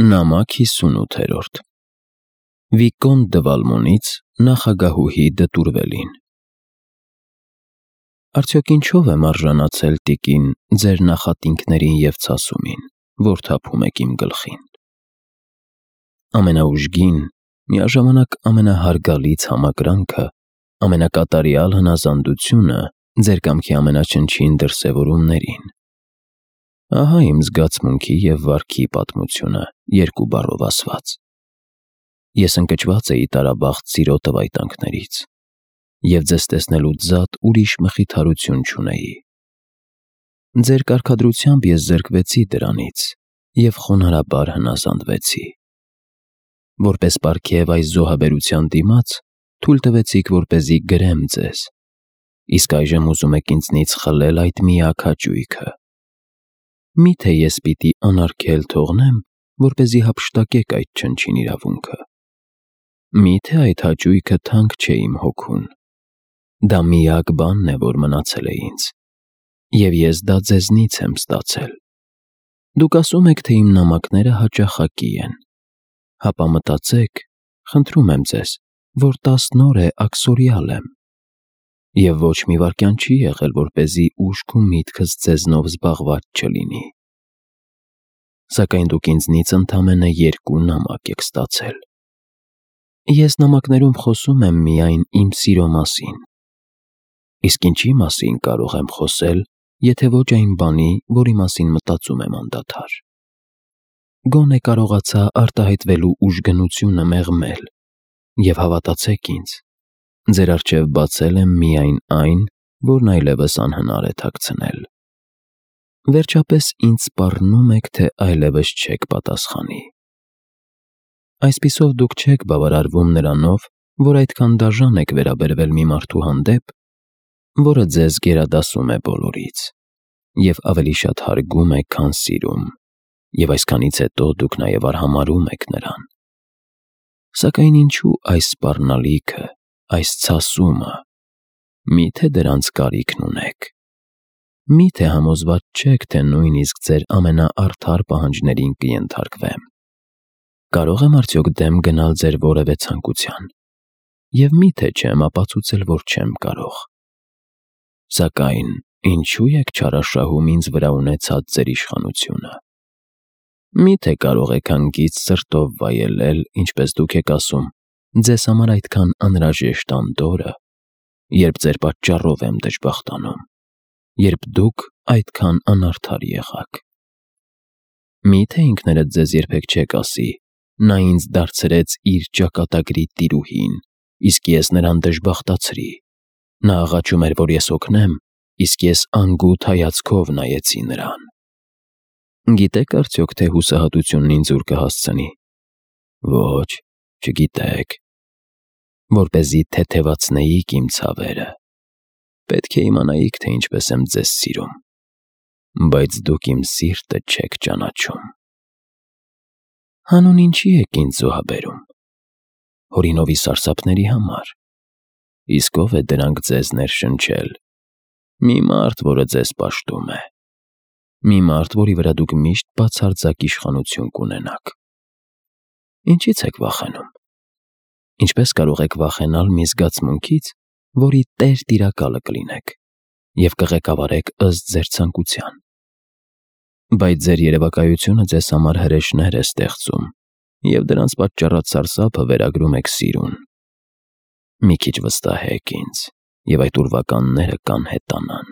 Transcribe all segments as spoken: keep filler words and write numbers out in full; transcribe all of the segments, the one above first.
Նամակ հիսունութերորդ Վիկոն դը Վալմոնից նախագահուհի Դտուրվելին Արդյոք ինչով եմ արժանացել տիկին ձեր նախատինքներին և ցասումին, որ թափում եք իմ գլխին: Ամենաուժգին, միաժամանակ ամենահարգալից համակրանքը, ամենակատարյալ հնազանդությունը ձեր կամքի ամենաչնչին դրսևորումներին: Ահա իմ զգացմունքի և վարքի պատմությունը երկու բառով ասված: Ես ընկճված էի տարաբախտ սիրո տվայտանքներից և ձեզ տեսնելուց զատ ուրիշ մխիթարություն չունեի: Ձեր կարգադրությամբ ես զրկվեցի դրանից և խոնարհաբար հնազանդվեցի: Որպես պարգև այս զոհաբերության դիմաց, թույլ տվեցիք, որպեսզի գրեմ ձեզ, իսկ այժմ ուզում եք ինձնից խլել այդ միակ հաճույքը: Մի՞թե ես պիտի անարգել թողնեմ, որպեսզի հափշտակեք այդ չնչին իրավունքը: Մի՞թե այդ հաճույքը թանկ չէ իմ հոգուն: Դա միակ բանն է, որ մնացել է ինձ, և ես դա ձեզնից եմ ստացել: Դուք ասում եք, թե իմ նամակները հաճախակի են: Հապա մտածեք, խնդրում եմ ձեզ, որ տասն օր է աքսորյալ եմ: Եվ ոչ մի վայրկյան չի եղել, որպեսզի ուշք ու միտքս ձեզնով զբաղված չլինի: Սակայն դուք ինձնից ընդամենը երկու նամակ եք ստացել: Ես նամակներում խոսում եմ միայն իմ սիրո մասին: Իսկ ինչի՞ մասին կարող եմ խոսել, եթե ոչ այն բանի, որի մասին մտածում եմ անդադար: Գոնե կարողացա արտահայտվելու ուժգնությունը մեղմել և հավատացեք ինձ, ձեր առջև բացել եմ միայն այն, որն այլևս անհնար է թաքցնել: Վերջապես ինձ սպառնում եք, թե այլևս չեք պատասխանի: Այսպիսով դուք չեք բավարարվում նրանով, որ այդքան դաժան եք վերաբերվել մի մարդու հանդեպ, որը ձեզ գերադասում է բոլորից և ավելի շատ հարգում է, քան սիրում, և այսքանից հետո դուք նաև արհամարհում եք նրան: Սակայն ինչո՞ւ այս սպառնալիքը, այս ցասումը: Մի՞թե դրանց կարիքն ունեք: Մի՞թե համոզված չեք, թե նույնիսկ ձեր ամենաարդար պահանջներին կենթարկվեմ: Կարո՞ղ եմ արդյոք դեմ գնալ ձեր որևէ ցանկության: Եվ մի՞թե չեմ ապացուցել, որ չեմ կարող: Սակայն ինչո՞ւ եք չարաշահում ինձ վրա ունեցած ձեր իշխանությունը: Մի՞թե կարող եք հանգիստ սրտով վայելել, ինչպես դուք եք ասում, ձեզ համար այդքան անհրաժեշտ Անդորրը, երբ ձեր պատճառով եմ դժբախտանում, երբ դուք այդքան անարդար եղաք: Մի՞թե ինքներդ ձեզ երբեք չեք ասի. «Նա ինձ դարձրեց իր ճակատագրի տիրուհին, իսկ ես նրան դժբախտացրի: Նա աղաչում էր, որ ես օգնեմ, իսկ ես անգութ հայացքով նայեցի նրան»: Գիտե՞ք արդյոք, թե հուսահատությունն ինձ ուր կհասցնի: Ոչ, չգիտեք: Որպեսզի թեթևացնեիք իմ ցավերը, պետք է իմանայիք, թե ինչպես եմ ձեզ սիրում: Բայց դուք իմ սիրտը չեք ճանաչում: Հանուն ինչի՞ եք ինձ զոհաբերում: Հորինովի սարսափների համար: Իսկ ո՞վ է դրանք ձեզ ներշնչել: Մի մարդ, որը ձեզ պաշտում է: Մի մարդ, որի վրա դուք միշտ բացարձակ իշխանություն կունենաք: Ինչի՞ց եք վախենում: Ինչպես կարող եք վախենալ մի զգացմունքից, որի տեր-տիրակալը կլինեք և կղեկավարեք ըստ ձեր ցանկության: Բայց ձեր երևակայությունը ձեզ համար հրեշներ է ստեղծում և դրանց պատճառած սարսափը վերագրում եք սիրուն: Մի քիչ վստահեք ինձ, և այդ ուրվականները կանհետանան: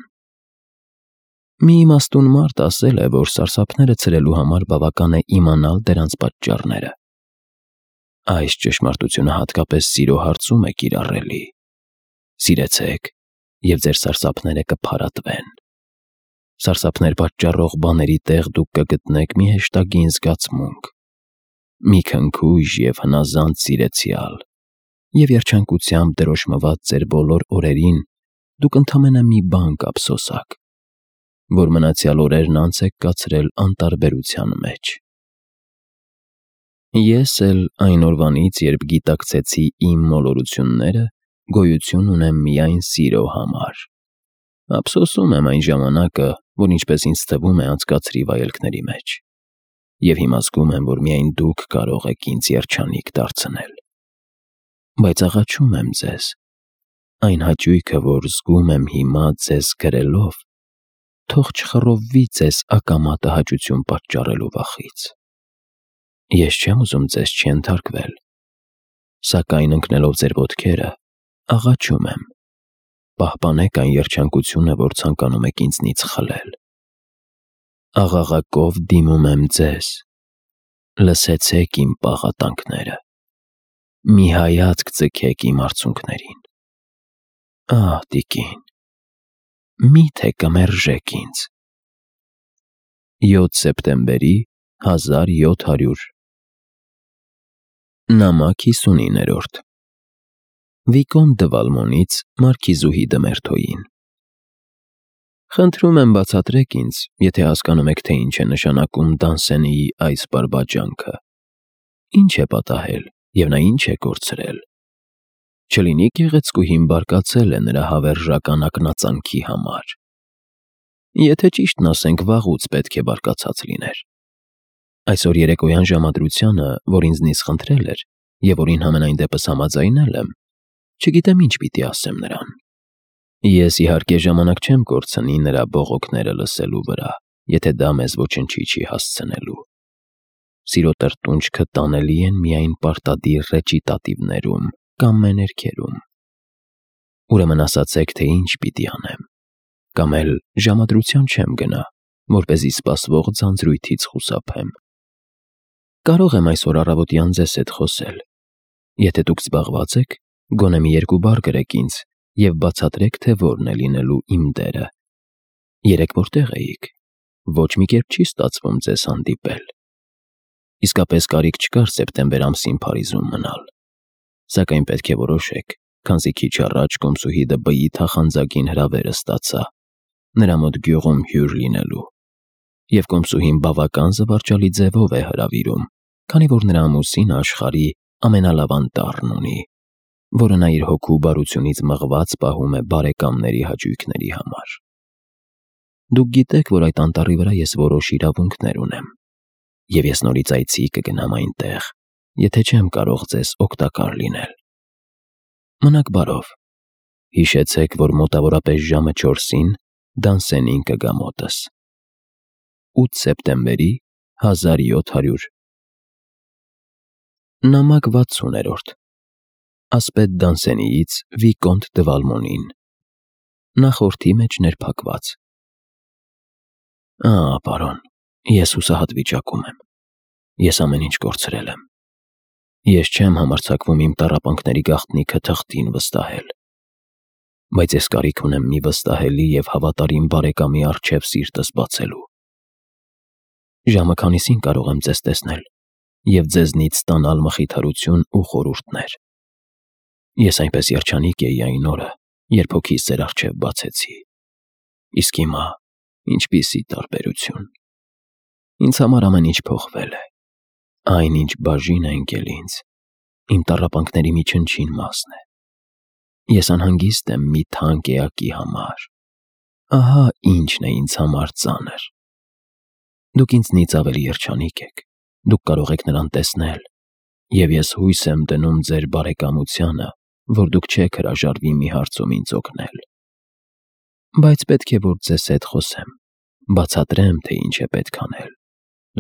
Մի իմաստուն մարդ ասել է, որ սարսափները ցրելու համար բավական է իմանալ դրանց պատճառները: Այս ճշմարտությունը հատկապես սիրո հարցում է կիրառելի: Սիրեցեք, և ձեր սարսափները կփարատվեն: Սարսափներ պատճառող բաների տեղ դուք կգտնեք մի հեշտագին զգացմունք, մի քնքուշ և հնազանդ սիրեցյալ, և երջանկությամբ դրոշմված ձեր բոլոր օրերին դուք ընդամենը մի բան կափսոսաք, որ մնացյալ օրերն անց եք կացրել անտարբերության մեջ: Ես էլ այն օրվանից, երբ գիտակցեցի իմ մոլորությունները, գոյություն ունեմ միայն սիրո համար: Ափսոսում եմ այն ժամանակը, որ ինչպես ինձ թվում է անցկացրի վայելքների մեջ: և հիմա զգում եմ, որ միայն դուք կարող եք ինձ երջանիկ դարձնել։ Բայց աղաչում եմ ձեզ, այն հաճույքը, որ զգում եմ հիմա ձեզ գրելով, թող չխռովվի ձեզ ակամա տհաճություն պատճառելու վախից։ Ես չեմ ուզում ձեզ չենթարկվել, սակայն ընկնելով ձեր ոտքերը, աղաչում եմ, պահպանեք այն երջանկությունը, որ ցանկանում եք ինձնից խլել։ Աղաղակով դիմում եմ ձեզ, լսեցեք իմ պաղատանքները, մի հայացք ձգեք իմ արցունքներին։ Ահ, տիկին, մի՞թե կմերժեք ինձ։ յոթ սեպտեմբերի հազար յոթ հարյուր նամակ հիսունիններորդ Վիկոն դը Վալմոնից Մարքիզուհի Դմերթոյին։ Խնդրում եմ բացատրեք ինձ, եթե հասկանում եք, թե ինչ է նշանակում Դանսենիի այս բարբաջանքը, ինչ է պատահել և նա ինչ է կորցրել։ Չլինի գեղեցկուհին բարկացել է նրա հավերժական ակնածանքի համար։ Եթե ճիշտն ասենք, վաղուց պետք է բարկացած լիներ։ Այսօր երեկոյան ժամադրությանը, որ ինձնից խնդրել էր և որին համենայն դեպս համաձայնել եմ, չգիտեմ ինչ պիտի ասեմ նրան։ Ես իհարկե ժամանակ չեմ կորցնի նրա բողոքները լսելու վրա, եթե դա մեզ ոչնչի չի հասցնելու։ Սիրո տրտունջքը տանելի են միայն պարտադիր ռեճիտատիվներում կամ մեներքերում։ Ուրեմն ասացեք, թե ինչ պիտի անեմ, կամ էլ ժամադրության չեմ գնա, որպեսզի սպասվող ձանձրույթից խուսափեմ։ Կարող եմ այսօր առավոտյան ձեզ հետ խոսել։ Եթե դուք զբաղված եք, գոնե մի երկու բառ գրեք ինձ և բացատրեք, թե որն է լինելու իմ դերը։ Երեկ որտեղ էիք։ Ոչ մի կերպ չի ստացվում ձեզ հանդիպել։ Իսկապես կարիք չկար սեպտեմբեր ամսին Փարիզում մնալ։ Սակայն պետք է որոշեք, քանզի քիչ առաջ կոմսուհի դը Բ-ի թախանձագին հրավերը ստացա նրա մոտ գյուղում հյուր լինելու, և կոմսուհին բավական զվարճալի ձևով է հրավիրում, քանի որ նրա ամուսինը աշխարհի ամենալավ անտառն ունի, որը նա իր հոգու բարությունից մղված պահում է բարեկամների հաճույքների համար։ Դուք գիտեք, որ այդ անտառի վրա ես որոշ իրավունքներ ունեմ, և ես նորից այցի կգնամ այնտեղ, եթե չեմ կարող ձեզ օգտակար լինել։ Մնաք բարով, հիշեցեք, որ մոտավորապես ժամը չորսին Դանսենին կգա մոտս։ ութ սեպտեմբերի հազար յոթ հարյուր Նամակ վաթսուներորդ Ասպետ Դանսենիից Վիկոնտ դը Վալմոնին։ Նախորդի մեջ ներփակված։ Ահ, պարոն, ես հուսահատ վիճակում եմ։ Ես ամեն ինչ կորցրել եմ։ Ես չեմ համարձակվում իմ տառապանքների գաղտնիքը թղթին վստահել։ Բայց ես կարիք ունեմ մի վստահելի և հավատարիմ բարեկամի առջև սիրտս բացելու։ Ժամը քանիսին կարող եմ ձեզ տեսնել և ձեզնից ստանալ մխիթարություն ու խորհուրդներ։ Ես այնպես երջանիկ էի այն օրը, երբ հոգիս ձեր առջև բացեցի։ Իսկ հիմա ինչպիսի տարբերություն։ Ինձ համար ամեն ինչ փոխվել է։ Այն, ինչ բաժին է ընկել ինձ, իմ տառապանքների մի չնչին մասն է։ Ես անհանգիստ եմ մի թանկ էակի համար։ Ահա ինչն է ինձ համար ծանր։ Դուք ինձնից ավելի երջանիկ եք, դուք կարող եք նրան տեսնել, և ես հույս եմ դնում ձեր բարեկամությանը, որ դուք չեք հրաժարվի մի հարցում ինձ օգնել։ Բայց պետք է, որ ձեզ հետ խոսեմ, բացատրեմ, թե ինչ է պետք անել։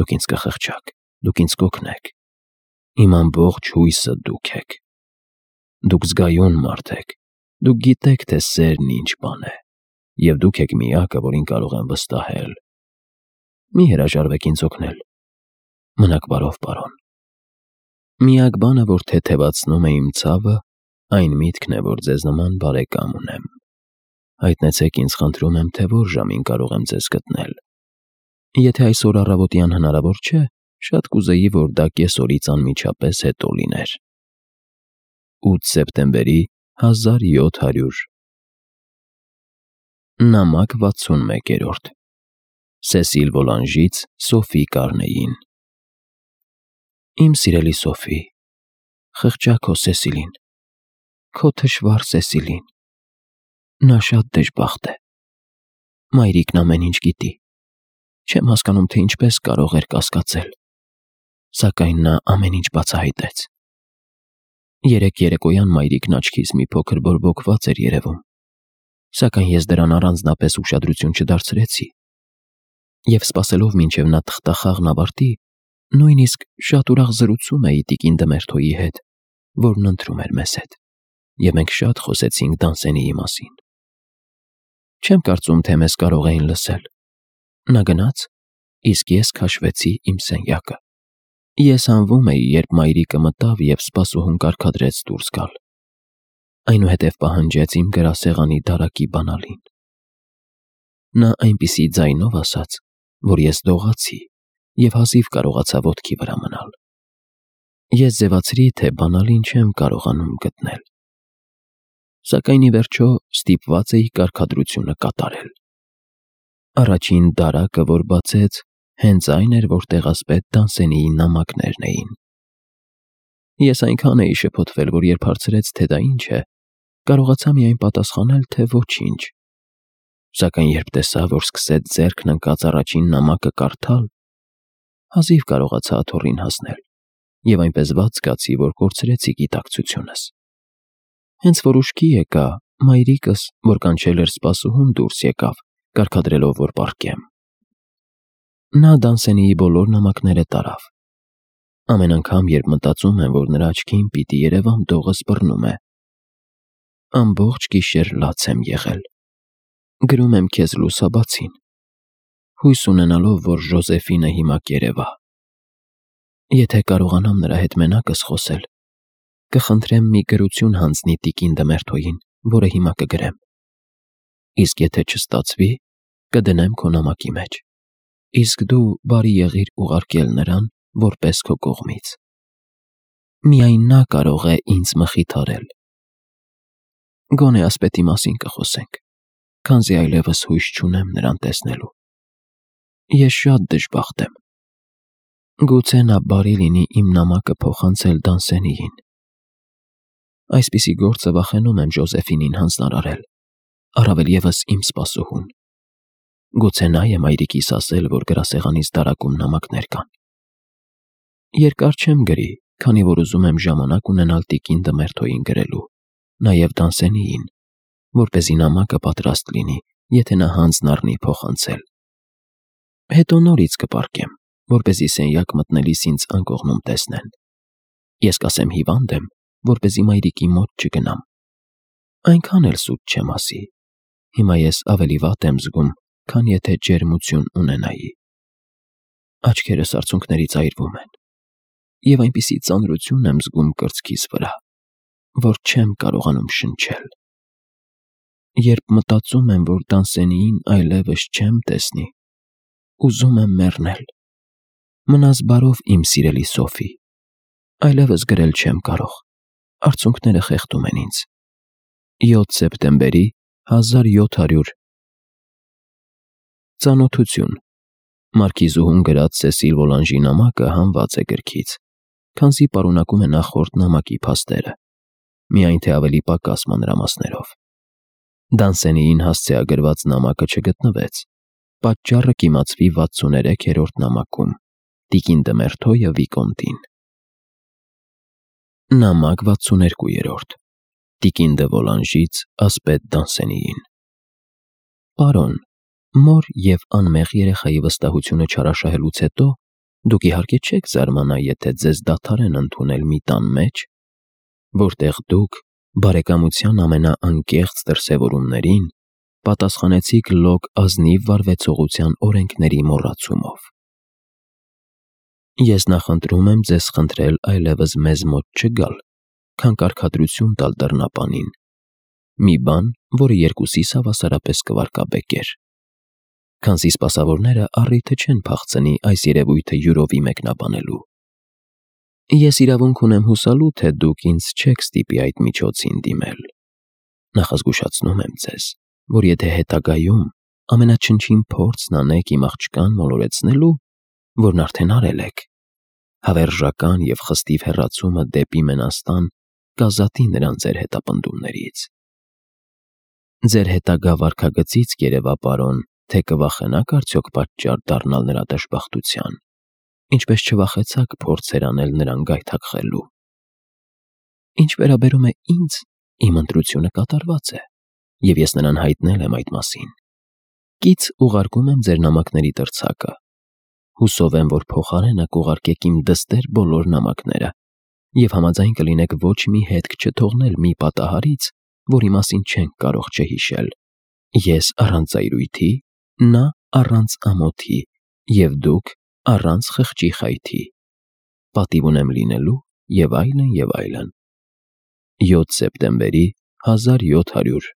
Դուք ինձ կխղճաք, դուք ինձ կօգնեք։ Իմ ամբողջ հույսը դուք եք։ Դուք զգայուն մարդ եք, դուք գիտեք, թե սերն ինչ բան է, և դուք եք միակը, որին կարող եմ վստահել։ Մի հրաժարվեք ինձ օգնել։ Մնաք բարով, պարոն։ Միակ բանը, որ թեթևացնում է իմ ցավը, այն միտքն է, որ ձեզ նման բարեկամ ունեմ։ Հայտնեցեք ինձ, խնդրում եմ, թե որ ժամին կարող եմ ձեզ գտնել։ Եթե այսօր առավոտյան հնարավոր չէ, շատ կուզեի, որ դա կեսօրից անմիջապես հետո լիներ։ ութ սեպտեմբերի հազար յոթ հարյուր Նամակ վաթսունմեկերորդ Սեսիլ Վոլանժից Սոֆի Կարնեին։ Իմ սիրելի Սոֆի, խղճա քո Սեսիլին, քո թշվառ Սեսիլին։ Նա շատ դժբախտ է։ Մայրիկն ամեն ինչ գիտի։ Չեմ հասկանում, թե ինչպես կարող էր կասկածել։ Սակայն նա ամեն ինչ բացահայտեց։ Երեք երեկոյան մայրիկն աչքից մի փոքր բորբոքված էր երևում, սակայն ես դրան առանձնապես ուշադրություն չդարձրեցի, և սպասելով մինչև նա թղթախաղն ավարտի, նույնիսկ շատ ուրախ զրուցում էի տիկին Դմերթոյի հետ, որն ընթրում էր մեզ հետ, և մենք շատ խոսեցինք Դանսենիի մասին։ Չեմ կարծում, թե մեզ կարող էին լսել։ Նա գնաց, իսկ ես քաշվեցի իմ սենյակը։ Ես հանվում էի, երբ մայրիկը մտավ և սպասուհուն կարգադրեց դուրս գալ։ Այնուհետև պահանջեց իմ գրասեղանի դարակի բանալին։ Նա այնպիսի ձայնով ասաց, որ ես դողացի և հազիվ կարողացա ոտքի վրա մնալ։ Ես ձևացրի, թե բանալին չեմ կարողանում գտնել։ Սակայն ի վերջո ստիպված էի կարգադրությունը կատարել։ Առաջին դարակը, որ բացեց, հենց այն էր, որտեղ ասպետ Դանսենիի նամակներն էին։ Ես այնքան էի շփոթվել, որ երբ հարցրեց, թե դա ինչ է, կարողացա միայն պատասխանել, թե ոչինչ։ Սակայն երբ տեսա, որ սկսեց ձեռքն ընկած առաջին նամակը կարդալ, հազիվ կարողացա աթոռին հասնել և այնպես վատ զգացի, որ կորցրեցի գիտակցությունս։ Հենց որ ուշքի եկա, մայրիկս, որ կանչել էր սպասուհուն, դուրս եկավ, կարգադրելով, որ պառկեմ։ Նա Դանսենիի բոլոր նամակները տարավ։ Ամեն անգամ, երբ մտածում եմ, որ նրա աչքին պիտի երևամ դողս բռնում է, ամբողջ գիշեր լաց եմ եղել։ Գրում եմ քեզ լուսաբացին, հույս ունենալով, որ Ժոզեֆինը հիմա կերևա։ Եթե կարողանամ նրա հետ մենակս խոսել, կխնդրեմ մի գրություն հանձնի տիկին Դմերթոյին, որը հիմա կգրեմ։ Իսկ եթե չստացվի, կդնեմ քո նամակի մեջ, իսկ դու բարի եղիր ուղարկել նրան որպես քո կողմից։ Միայն նա կարող է ինձ մխիթարել։ Գոնե ասպետի մասին կխոսենք, քանզի այլևս հույս չունեմ նրան տեսնելու։ Ես շատ դժբախտ եմ։ Գուցե նա բարի լինի իմ նամակը փոխանցել Դանսենիին։ Այսպիսի գործը վախենում եմ Ժոզեֆինին հանձնարարել, առավել ևս իմ սպասուհուն։ Գուցե նա է մայրիկիս ասել, որ գրասեղանիս դարակում նամակներ կան։ Երկար չեմ գրի, քանի որ ուզում եմ ժամանակ ունենալ տիկին Դմերթոյին գրելու, նաև Դանսենիին, որպեսզի նամակը պատրաստ լինի, եթե նա հանձն առնի փոխանցել։ Հետո նորից կպառկեմ, որպեսզի սենյակ մտնելիս ինձ անկողնում տեսնեն։ Ես կասեմ հիվանդ եմ, որպեսզի մայրիկի մոտ չգնամ։ Այնքան էլ սուտ չեմ ասի։ Հիմա ես ավելի վատ եմ զգում, քան եթե ջերմություն ունենայի։ Աչքերս արցունքներից այրվում են, և այնպիսի ծանրություն եմ զգում կրծքիս վրա, որ չեմ կարողանում շնչել։ Երբ մտածում եմ, որ Դանսենիին այլևս չեմ տեսնի, ուզում եմ մեռնել։ Մնաս բարով, իմ սիրելի Սոֆի, այլևս գրել չեմ կարող, արցունքները խեղդում են ինձ։ յոթ սեպտեմբերի հազար յոթ հարյուր Ծանոթություն։ Մարքիզուհուն գրած Սեսիլ Վոլանժի նամակը հանված է գրքից, քանզի պարունակում է նախորդ նամակի փաստերը, միայն թե ավելի պակաս մանրամասներով։ Դանսենիին հասցեագրված նամակը չգտնվեց, պատճառը կիմացվի վաթսուներեքերորդ նամակում, տիկին Դմերթոյը Վիկոնտին։ Նամակ վաթսուներկուերորդ Տիկին դը Վոլանժից ասպետ Դանսենիին։ Պարոն, մոր և անմեղ երեխայի վստահությունը չարաշահելուց հետո դուք իհարկե չեք զարմանա, եթե ձեզ դադարեն ընդունել մի տան մեջ, որտեղ դուք բարեկամության ամենաանկեղծ դրսևորումներին պատասխանեցիք լոկ ազնիվ վարվեցողության օրենքների մոռացումով։ Ես նախընտրում եմ ձեզ խնդրել այլևս մեզ մոտ չգալ, քան կարգադրություն տալ դռնապանին, մի բան, որը երկուսիս հավասարապես կվարկաբեկեր, քանզի սպասավորները առիթը չեն փախցնի այս երևույթը յուրովի մեկնաբանելու։ Ես իրավունք ունեմ հուսալու, թե դուք ինձ չեք ստիպի այդ միջոցին դիմել։ Նախազգուշացնում եմ ձեզ, որ եթե հետագայում ամենաչնչին փորձն անեք իմ աղջկան մոլորեցնելու, որն արդեն արել եք, հավերժական և խստիվ հեռացումը դեպի Մենաստան կազատի նրան ձեր հետապնդումներից։ Ձեր հետագա վարքագծից կերևա, պարոն, թե կվախենաք արդյոք պատճառ դառնալ նրա դժբախտության, ինչպես չվախեցաք փորձեր անել նրան գայթակղելու։ Ինչ վերաբերում է ինձ, իմ ընտրությունը կատարված է, և ես նրան հայտնել եմ այդ մասին։ Կից ուղարկում եմ ձեր նամակների տրցակը։ Հուսով եմ, որ փոխարենը կուղարկեք իմ դստեր բոլոր նամակները, և համաձայն կլինեք ոչ մի հետք չթողնել մի պատահարից, որի մասին չենք կարող չհիշել։ Ես առանց ծայրույթի, նա առանց ամոթի, և դուք առանց խղճի խայթի։ Պատիվ ունեմ լինելու և այլն, և այլն։ յոթ սեպտեմբերի հազար յոթ հարյուր